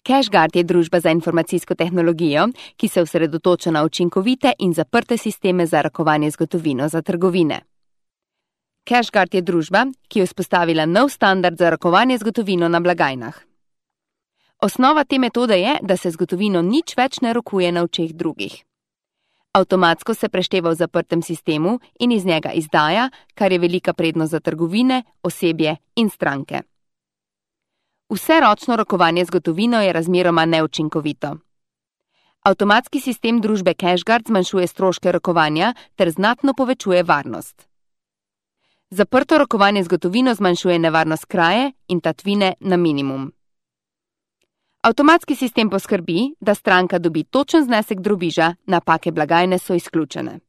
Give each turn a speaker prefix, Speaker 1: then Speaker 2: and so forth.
Speaker 1: CashGuard je družba za informacijsko tehnologijo, ki se osredotoča na učinkovite in zaprte sisteme za rokovanje z gotovino za trgovine. CashGuard je družba, ki je vzpostavila nov standard za rokovanje z gotovino na blagajnah. Osnova te metode je, da se z gotovino nič več ne rokuje na očeh drugih. Avtomatsko se prešteva v zaprtem sistemu in iz njega izdaja, kar je velika prednost za trgovine, osebje in stranke. Vse ročno rokovanje z gotovino je razmeroma neučinkovito. Avtomatski sistem družbe CashGuard zmanjšuje stroške rokovanja ter znatno povečuje varnost. Zaprto rokovanje z gotovino zmanjšuje nevarnost kraje in tatvine na minimum. Avtomatski sistem poskrbi, da stranka dobi točen znesek drobiža, napake blagajne so izključene.